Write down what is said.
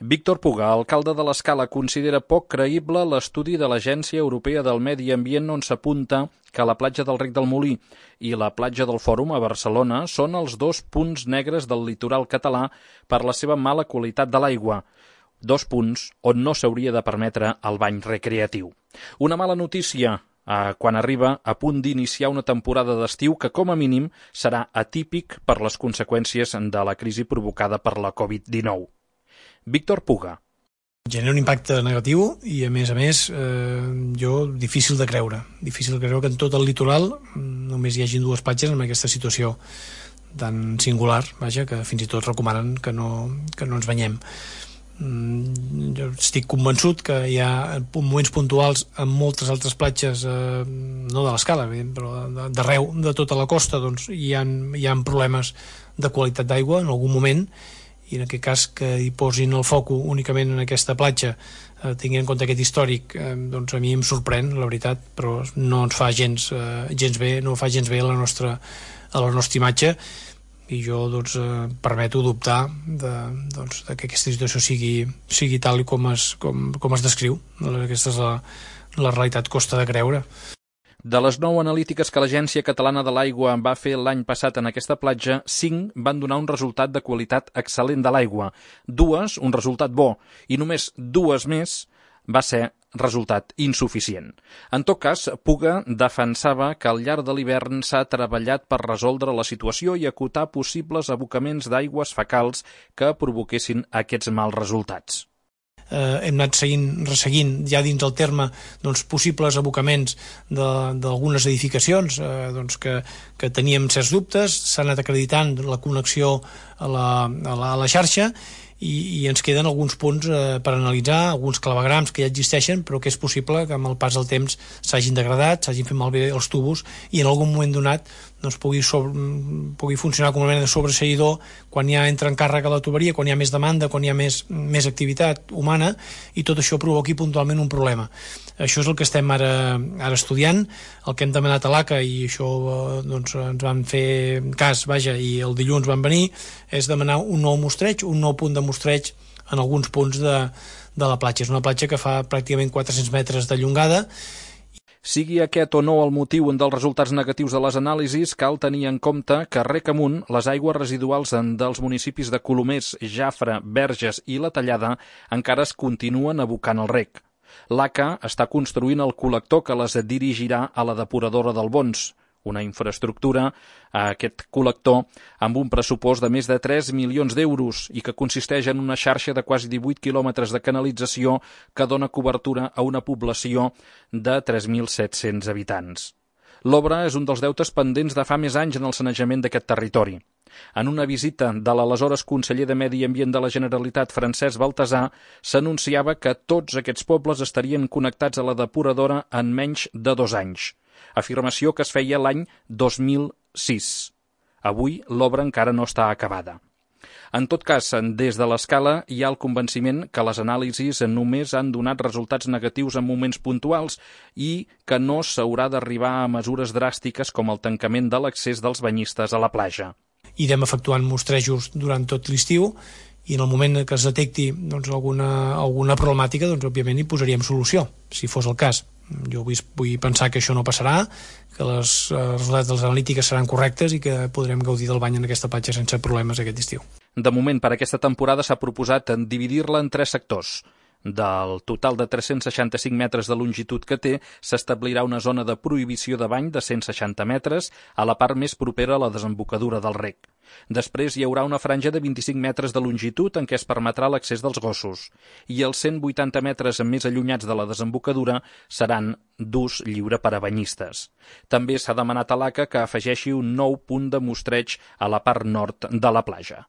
Víctor Puga, alcalde de l'Escala, considera poc creïble l'estudi de l'Agència Europea del Medi Ambient on s'apunta que la platja del Rec del Molí i la platja del Fòrum a Barcelona són els dos punts negres del litoral català per la seva mala qualitat de l'aigua. Dos punts on no s'hauria de permetre el bany recreatiu. Una mala notícia quan arriba a punt d'iniciar una temporada d'estiu que, com a mínim, serà atípic per les conseqüències de la crisi provocada per la Covid-19. Víctor Puga. Genera un impacte negatiu i, a més, difícil de creure que en tot el litoral només hi hagi dues platges en aquesta situació tan singular, que fins i tot recomanen que no ens banyem. Jo estic convençut que hi ha moments puntuals en moltes altres platges, no de l'Escala, però d'arreu de tota la costa, doncs hi ha problemes de qualitat d'aigua en algun moment, i en aquest cas que hi posin el foco únicament en aquesta platja, tinguent en compte aquest històric, doncs a mi em sorprèn, la veritat, però no ens fa gens bé, no fa gens bé a la nostra imatge, i jo permeto dubtar de que aquesta situació sigui tal com es descriu. Aquesta és la realitat, costa de creure. De les 9 analítiques que l'Agència Catalana de l'Aigua va fer l'any passat en aquesta platja, 5 van donar un resultat de qualitat excel·lent de l'aigua, 2 un resultat bo, i només 2 més va ser resultat insuficient. En tot cas, Puga defensava que al llarg de l'hivern s'ha treballat per resoldre la situació i acotar possibles abocaments d'aigües fecals que provoquessin aquests mals resultats. Hem anat resseguint ja dins el terme possibles abocaments d'algunes edificacions que teníem certs dubtes, s'ha anat acreditant la connexió a la xarxa i ens queden alguns punts per analitzar, alguns clavegrams que ja existeixen però que és possible que amb el pas del temps s'hagin degradat, s'hagin fet malbé els tubos i en algun moment donat pugui funcionar com una mena de sobreseïdor quan ja entra en càrrega la tuberia, quan hi ha més demanda, quan hi ha més activitat humana, i tot això provoqui puntualment un problema. Això és el que estem ara estudiant, el que hem demanat a l'ACA, i això ens van fer cas, i el dilluns van venir, és demanar un nou mostreig, un nou punt de mostreig en alguns punts de la platja. És una platja que fa pràcticament 400 metres de llongada. Sigui aquest o no el motiu dels resultats negatius de les anàlisis, cal tenir en compte que rec amunt les aigües residuals dels municipis de Colomers, Jafre, Verges i La Tallada encara es continuen abocant al rec. L'ACA està construint el col·lector que les dirigirà a la depuradora del Bons, una infraestructura, aquest col·lector, amb un pressupost de més de 3 milions d'euros i que consisteix en una xarxa de quasi 18 quilòmetres de canalització que dona cobertura a una població de 3.700 habitants. L'obra és un dels deutes pendents de fa més anys en el sanejament d'aquest territori. En una visita de l'aleshores conseller de Medi Ambient de la Generalitat, Francesc Baltasar, s'anunciava que tots aquests pobles estarien connectats a la depuradora en menys de 2 anys. Afirmació que es feia l'any 2006. Avui l'obra encara no està acabada. En tot cas, des de l'Escala hi ha el convenciment que les anàlisis només han donat resultats negatius en moments puntuals i que no s'haurà d'arribar a mesures dràstiques com el tancament de l'accés dels banyistes a la platja. Irem efectuant mostrejos durant tot l'estiu i en el moment que es detecti alguna problemàtica, òbviament hi posaríem solució, si fos el cas. Jo vull pensar que això no passarà, que els resultats de les analítiques seran correctes i que podrem gaudir del bany en aquesta platja sense problemes aquest estiu. De moment, per aquesta temporada s'ha proposat dividir-la en 3 sectors. Del total de 365 metres de longitud que té, s'establirà una zona de prohibició de bany de 160 metres a la part més propera a la desembocadura del rec. Després hi haurà una franja de 25 metres de longitud en què es permetrà l'accés dels gossos i els 180 metres més allunyats de la desembocadura seran d'ús lliure per a banyistes. També s'ha demanat a l'ACA que afegeixi un nou punt de mostreig a la part nord de la platja.